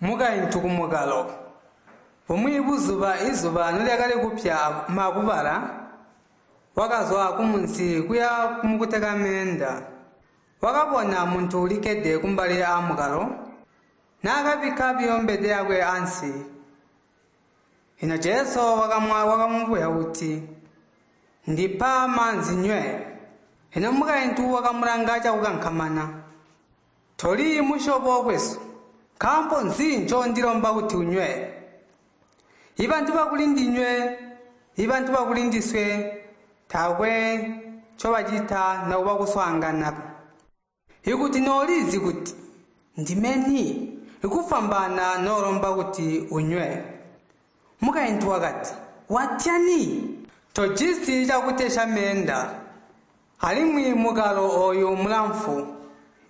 Mukaintu kumukalo. Bumwi buzuba izuba nolyakali kupya makubala, wakazwa kumunzi kuya kumukuteka meenda. Wakabona muntu ulikkede kumbali aamukalo, naakabikka biyo mbede yakwe ansi. Ino Jesu wakamubweza kuti, “Ndipa maanzi nywe.” Ino mukaintu wakamulanga cakukankamana. “Toli musyobo kwesu, nkaambo nzi ncoondilomba kuti unywe?” Ibantu bakulindinywe, ibantu bakulindiswe taakwe ncobacita nokuba kuswaangana. Ikuti noolizi kuti ndimeni, ikufwambaana noolomba kuti unywe. Mukaintu wakati, “Watyani? Tojisi cakutesya meenda, alimwi mukalo ooyu mulamfu.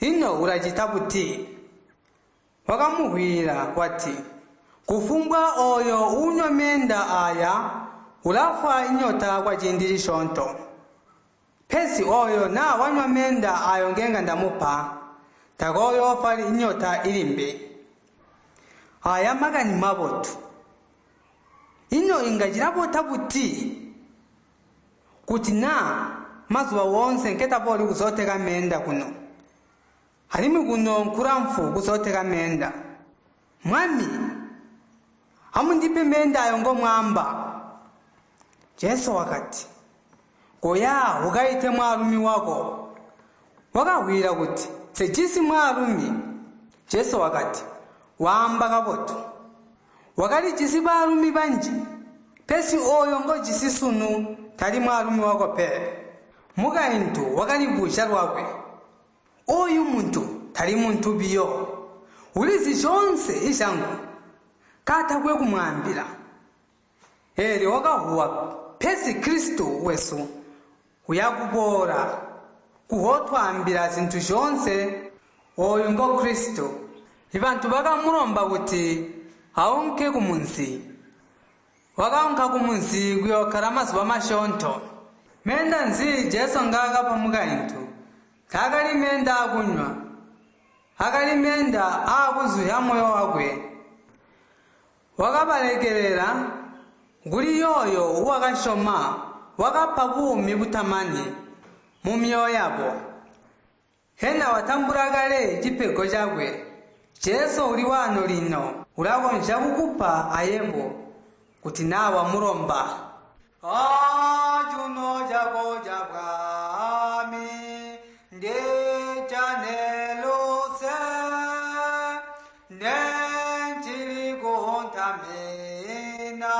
Ino ulacita buti?” Wakamuvwiila wati, “Kufumbwa ooyo uunywa meenda aaya ulafwa inyota kwaciindi cisyoonto. Pesi ooyo naa wanywa meenda aayo ngenga ndamupa, takooyoofwa inyota ilimbi.” Aaya makani mabotu. Ino inga cilabota buti kuti naa mazuba woonse nketabooli kuzooteka meenda kuno, alimwi kuno nkulamfu kuzooteka meenda. Mwami, amundipe meenda ayo ngomwaamba. Jesu wakati, “Koya ukaite mwaalumi wako.” Wakavwiila kuti, “Nsejisi mwaalumi.” Jesu wakati, “Waamba kabotu. Wakalijisi baalumi banji, pesi ooyo ngojisi sunu tali mwaalumi wako pe.” Mukaintu wakalibuzya lwakwe, “Ooyu muntu tali muntu biyo, ulizi zyoonse izyangu, kaatakwe kumwaambila.” Eelyo wakavuwa, pesi Kristu wesu uyakuboola kuhootwaambila zintu zyoonse. Ooyu ngo Kristu. Ibantu bakamulomba kuti aunke kumunzi. Wakaunka kumunzi kuyookkala mazuba masyoonto. Meenda nzi Jesu ngaakapa mukaintu? Taakali meenda aakunywa, akali meenda aakuzuzya moyo wakwe. Wakabalekelela kuli yooyo uwakasyoma, wakapa buumi butamani mumyoyo yabo. Hena watambula kale cipego cakwe? Jesu uli waano lino, ulakonzya kukupa ayebo kuti naa wamulomba. Cuuno cako cabwami ndijane luse, nencili kuntamina.